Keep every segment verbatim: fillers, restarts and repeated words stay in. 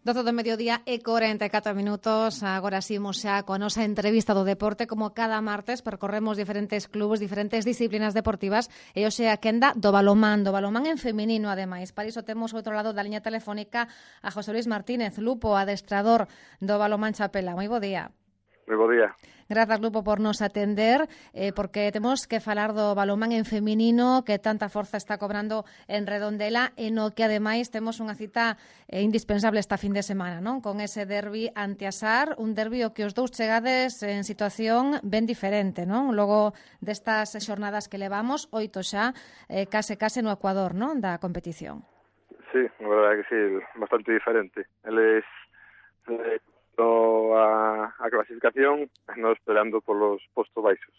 doce do mediodía e corenta e catro minutos. Agora simos xa coa nosa entrevista do deporte. Como cada martes percorremos diferentes clubes, diferentes disciplinas deportivas e hoxe a quenda do balomán, do balomán en feminino ademais. Para iso temos outro lado da liña telefónica a José Luis Martínez, Lupo, adestrador do balomán Chapela. Moi bo día. Moi bo día. Grazas, Lupo, por nos atender, eh, porque temos que falar do balomán en feminino que tanta forza está cobrando en Redondela e no que, ademais, temos unha cita eh, indispensable esta fin de semana, non? Con ese derbi ante Asar, un derbi o que os dous chegades en situación ben diferente, non? Logo destas xornadas que levamos, oito xa, eh, case case no Ecuador, non? Da competición. Sí, a verdade que sí, bastante diferente. Eles... Eh, A, a clasificación non esperando polos postos baixos.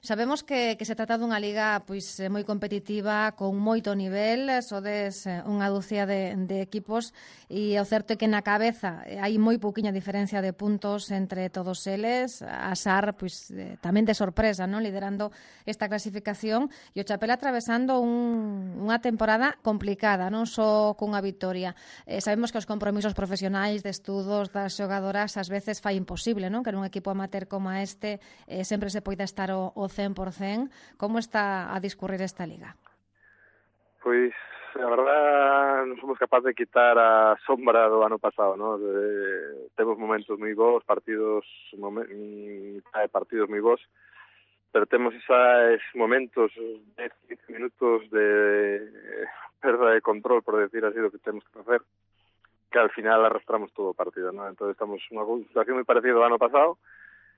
Sabemos que, que se trata dunha liga pois moi competitiva, con moito nivel, sodes unha dúcia de, de equipos e o certo é que na cabeza hai moi pouquiña diferencia de puntos entre todos eles. A Sar pois tamén de sorpresa, non, liderando esta clasificación, e o Chapela atravesando un, unha temporada complicada, non só cunha vitoria. Eh, sabemos que os compromisos profesionais de estudos das xogadoras ás veces fai imposible, non, que nun equipo amateur como este eh, sempre se poida estar o, o cen por cen. Como está a discurrir esta liga? Pois, a verdad, non somos capaces de quitar a sombra do ano pasado, ¿no? De, temos momentos moi bons, partidos momen, partidos moi bons, pero temos esos momentos de quince minutos de perda de control, por decir así, do que temos que facer, que al final arrastramos todo o partido, ¿no? Entonces estamos nunha situación moi parecida ao ano pasado.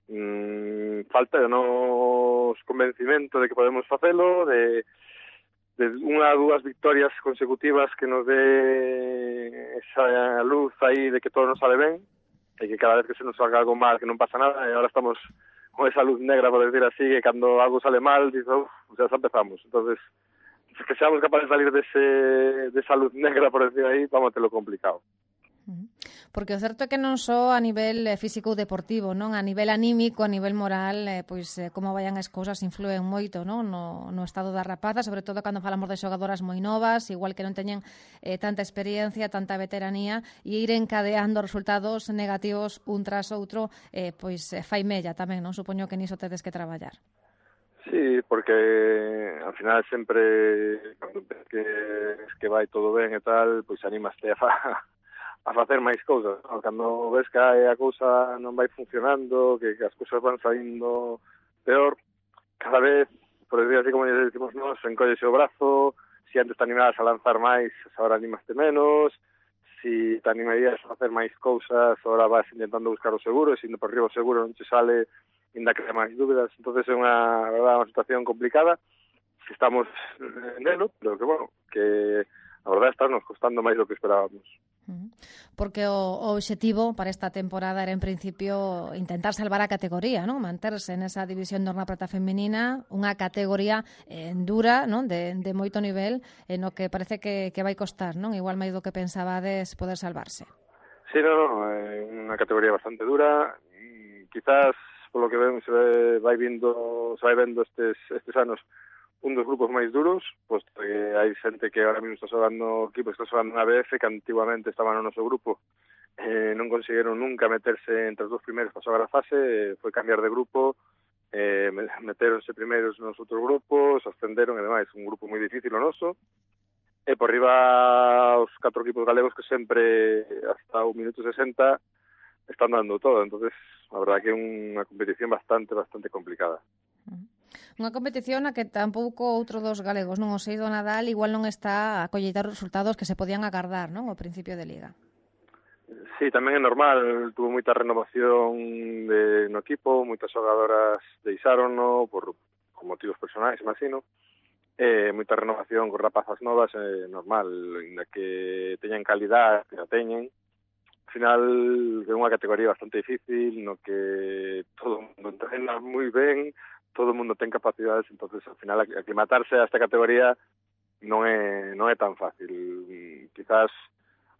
Mm, falta de nos convencimento de que podemos facelo, de, de unha ou dúas victorias consecutivas que nos dé esa luz aí de que todo nos sale ben e que cada vez que se nos salga algo mal que non pasa nada, e agora estamos con esa luz negra, por decir así, que cando algo sale mal dices, uff, ya empezamos. Entonces, que seamos capaces de salir de, ese, de esa luz negra, por decir aí, vamos a tenerlo complicado. Porque o certo é que non só a nivel físico ou deportivo, non, a nivel anímico, a nivel moral, eh, pois eh, como vayan as cousas influen moito, non, no, no estado da rapaza, sobre todo cando falamos de xogadoras moi novas, igual que non teñen eh, tanta experiencia, tanta veteranía, e ir encadeando resultados negativos un tras outro, eh, pois eh, fai mella tamén, non? Supoño que niso tedes que traballar. Sí, porque al final sempre cando que, que vai todo ben e tal, pois animaste a fa a facer máis cousas, non? Cando ves que a cousa non vai funcionando, que, que as cousas van saindo peor, cada vez, por decir así como decimos nós, encollese o brazo, se antes te animabas a lanzar máis, agora animaste menos, se te animarías a facer máis cousas, agora vas intentando buscar o seguro, e se indo por riba o seguro non te sale, ainda crea máis dúbidas. Entonces é unha, verdad, unha situación complicada, que estamos nelo, pero que, bueno, que a verdade está nos costando máis do que esperábamos. Porque o, o obxectivo para esta temporada era en principio intentar salvar a categoría, non? Manterse nesa división de Horna Prata feminina, unha categoría eh, dura, non? De, de moito nivel, en o que parece que, que vai costar, non? Igual máis do que pensabades poder salvarse. Sí, no, no, é unha categoría bastante dura, e quizás polo que ven se vai vindo, se vai vendo estes estes anos un dos grupos máis duros, posto que hai xente que ahora mesmo está xogando, equipos que está xogando na B F, que antiguamente estaban no noso grupo, eh, non conseguiron nunca meterse entre os dos primeiros para xogar a fase, foi cambiar de grupo, eh, meteronse primeiros nos outros grupos, ascenderon, e demais, un grupo moi difícil o noso, e por riba os catro equipos galegos que sempre, hasta o minuto sesenta, están dando todo. Entonces, a verdad que é unha competición bastante, bastante complicada. Unha competición na que tampouco outro dos galegos, non, o Seido Nadal, igual non está a colleitar os resultados que se podían agardar, non, ao principio de liga. Sí, tamén é normal, tuvo moita renovación de, no equipo, moitas xogadoras deixárono por, por motivos personais, imagino, e moita renovación con rapazas novas, é normal, ainda que teñan calidad, que a teñen. Al final é unha categoría bastante difícil, no que todo o mundo entrena moi ben, todo o mundo ten capacidades, entonces al final aclimatarse a esta categoría non é non é tan fácil. Quizás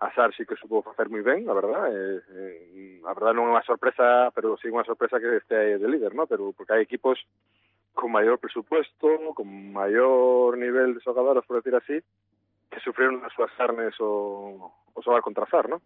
a Sar sí que supo facer moi ben, a verdad, eh, eh, a verdad non é unha sorpresa, pero sí unha sorpresa que este de líder, ¿no? Pero porque hai equipos con maior presupuesto, con maior nivel de xogadoras, por decir así, que sufrieron as súas carnes o, o o xogar contra Sar, non?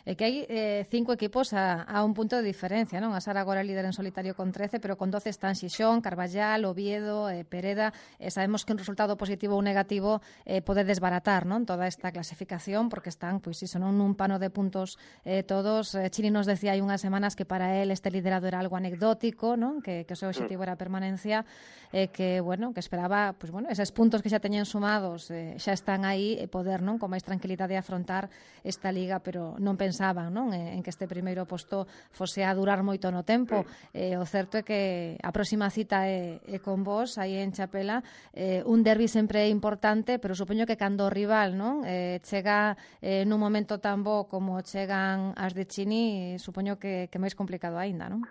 É que hai eh, cinco equipos a, a un punto de diferencia, non? A Sar agora é líder en solitario con trece, pero con doce están Xixón, Carballal, Oviedo, eh, Pereda, e sabemos que un resultado positivo ou negativo eh, pode desbaratar, non? Toda esta clasificación, porque están, pois iso, non? Nun pano de puntos eh, todos. Eh, Chini nos decía hai unhas semanas que para él este liderado era algo anecdótico, non? Que, que o seu objetivo era a permanencia, eh, que, bueno, que esperaba, pois, bueno, eses puntos que xa teñen sumados eh, xa están aí e poder, non? Con máis tranquilidade afrontar esta liga, pero non pensaban, non? En que este primeiro posto fose a durar moito no tempo. Eh, o certo é que a próxima cita é, é con vos, aí en Chapela. Eh, un derbi sempre é importante, pero supoño que cando o rival, non? Eh, chega eh, nun momento tan bo como chegan as de Chini, supoño que, que máis complicado aínda, non?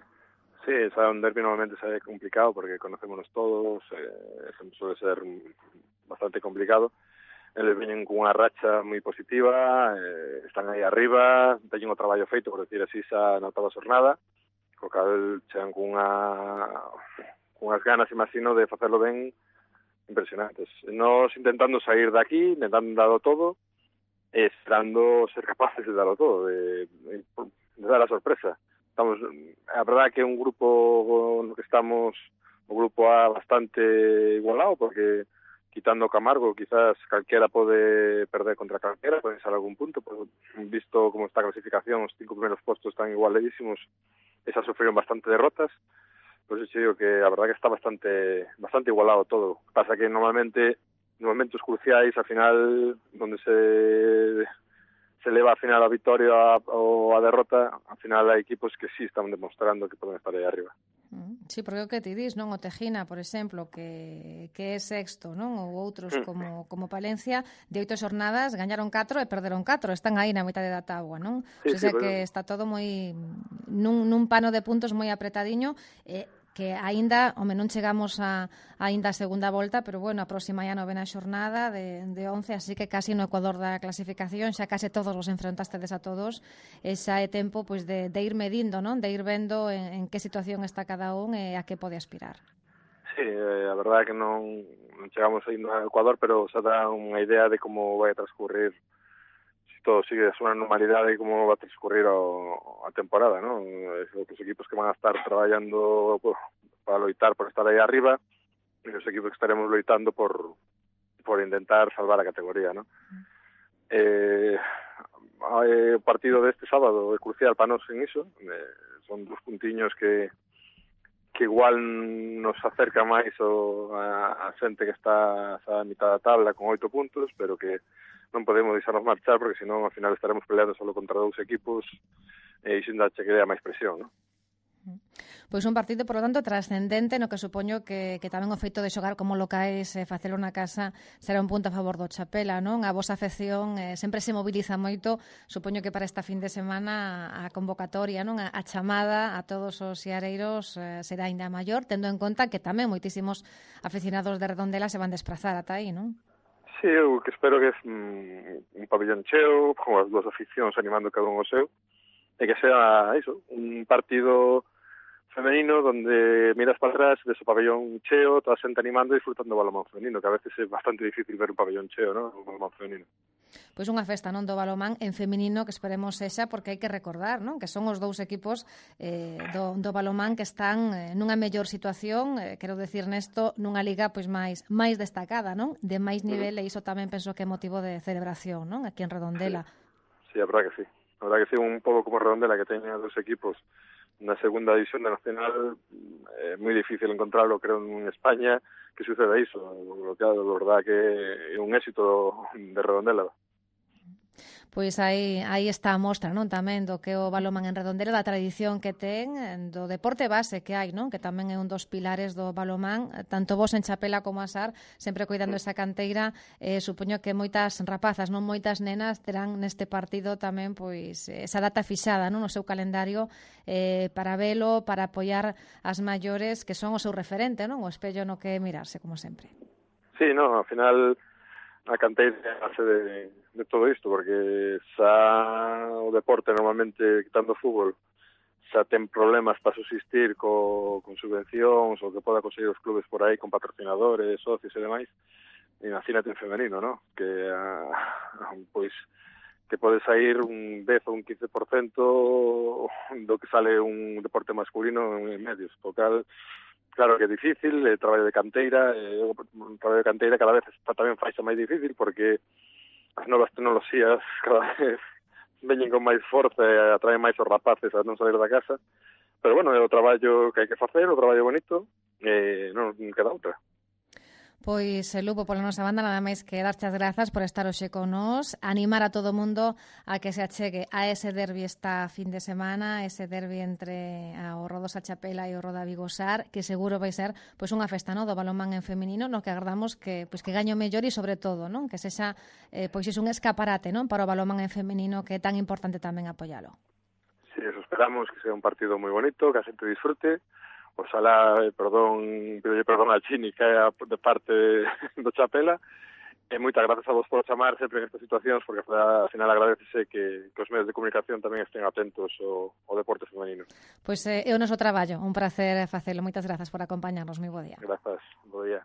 Sí, sabe, un derbi normalmente sabe complicado porque conocémonos todos, eh, suele ser bastante complicado. Eles veñen cunha racha moi positiva, eh, están aí arriba, teñen o traballo feito, por decir así, xa na octava xornada, co cal chegan cunha, cunhas ganas, imagino, de facerlo ben impresionantes. Nos intentando sair de aquí, intentando darlo todo, e esperando ser capaces de darlo todo, de, de, de dar a sorpresa. Estamos, a verdade é que é un grupo no que estamos, o grupo A bastante igualado, porque quitando Camargo, quizás calquera pode perder contra calquera, pode ser algún punto, pero visto como está a clasificación, os cinco primeros postos están igualadísimos, esas sufrieron bastante derrotas, por eso digo que a verdad que está bastante bastante igualado todo. Pasa que normalmente, en momentos cruciais, al final, donde se se leva al final a victoria ou a derrota, al final hai equipos que sí están demostrando que poden estar aí arriba. Sí, porque o que ti dis, non? O Tejina, por exemplo, que, que é sexto, non? Ou outros como, como Palencia, de oito xornadas gañaron catro e perderon catro, están aí na mitad da tábua, non? Sí, O sea, sí, que está todo moi nun, nun pano de puntos moi apretadiño, e eh, que aínda, home, non chegamos a aínda a segunda volta, pero bueno, a próxima ya novena xornada de, de once, así que casi no ecuador da clasificación, xa case todos os enfrentastedes a todos, e xa é tempo pois de, de ir medindo, non? De ir vendo en, en que situación está cada un e a que pode aspirar. Sí, eh, a verdade é que non, non chegamos aí no ecuador, pero xa dá unha idea de como vai a transcurrir, se todo sigue a súa normalidade, como va a transcurrir o, a temporada, non? Os equipos que van a estar traballando pues, para loitar por estar aí arriba, e os equipos que estaremos loitando por por intentar salvar a categoría, non? Mm. Eh, o partido deste sábado é crucial para nós en iso, eh, son dos puntiños que que igual nos acerca máis o, a, a xente que está a mitad da tabla con oito puntos, pero que non podemos deixarnos marchar porque senón ao final estaremos peleando solo contra dous equipos e iso ainda che crea máis presión, non? Pois un partido, por lo tanto, trascendente no que supoño que, que tamén o feito de xogar como locais e eh, facelo na casa será un punto a favor do Chapela, non? A vosa afección eh, sempre se moviliza moito, supoño que para esta fin de semana a convocatoria, non? A, a chamada a todos os xareiros eh, será ainda maior, tendo en conta que tamén moitísimos aficionados de Redondela se van desplazar ata aí, non? Sí, eu que espero que é mm, un pabellón cheo, con as dúas aficións animando cada un o seu, e que sea iso, un partido femenino donde miras para atrás, ves o pabellón cheo, toda a xente animando e disfrutando do balonmán femenino, que a veces é bastante difícil ver un pabellón cheo, ¿no? Un balonmán femenino. Pois unha festa, non, do balonmán en feminino que esperemos sexa, porque hai que recordar, non, que son os dous equipos eh, do, do balonmán que están eh, nunha mellor situación, eh, quero decir nesto, nunha liga pois máis máis destacada, non? De máis nivel, uh-huh. E iso tamén penso que é motivo de celebración, non? Aquí en Redondela. Sí, sí, a verdad que sí. A verdad que sí, un pouco como Redondela, que teña dos equipos na segunda división da Nacional, é moi difícil encontrarlo, creo, en España, que suceda iso. Lo que a verdad que é un éxito de Redondela. Pois aí, aí está a mostra, non, tamén do que o balonmán en Redondela, da tradición que ten, do deporte base que hai, non, que tamén é un dos pilares do balonmán, tanto vos en Chapela como a Sar, sempre cuidando esa canteira, eh, supoño que moitas rapazas, non moitas nenas, terán neste partido tamén pois esa data fixada, non, no seu calendario, eh, para velo, para apoiar as maiores, que son o seu referente, non, o espello no que mirarse, como sempre. Sí, non, ao final a canteira hace de, de todo isto, porque xa o deporte normalmente, quitando o fútbol, xa ten problemas para subsistir co, con subvencións ou que poda conseguir os clubes por aí con patrocinadores, socios e demais, e imagínate en femenino, ¿no? Que a, pois que pode sair un dez ou un quince por cento do que sale un deporte masculino en medios, o cal, claro que é difícil, é traballo de canteira, é un traballo de canteira cada vez está tamén faixa máis difícil porque as novas tecnoloxías cada vez veñen con máis forza e atraen máis os rapaces a non salir da casa, pero bueno, é o traballo que hai que facer, o traballo bonito, e non queda outra. Pois, Lupo, pola nosa banda, nada máis que darte as grazas por estar hoxe con nós, animar a todo o mundo a que se achegue a ese derbi esta fin de semana, ese derbi entre o Rodosa Chapela e o Roda Vigosar, que seguro vai ser pois unha festa, no, do balonmán en feminino, no que agardamos que pois que gaño mellor e sobre todo, non, que sexa eh, pois iso un escaparate, non, para o balonmán en feminino, que é tan importante tamén apoialo. Sí, eso esperamos, que sea un partido moi bonito, que a xente disfrute. Oxalá, perdón, pide perdón a Chini, que é de parte do Chapela, e moitas grazas a vos por chamar sempre en estas situacións, porque ao final agradecese que, que os medios de comunicación tamén estén atentos ao, ao deporte femenino. Pois é o noso traballo, un placer facelo. Moitas grazas por acompañarnos, moi bo día. Grazas, bo día.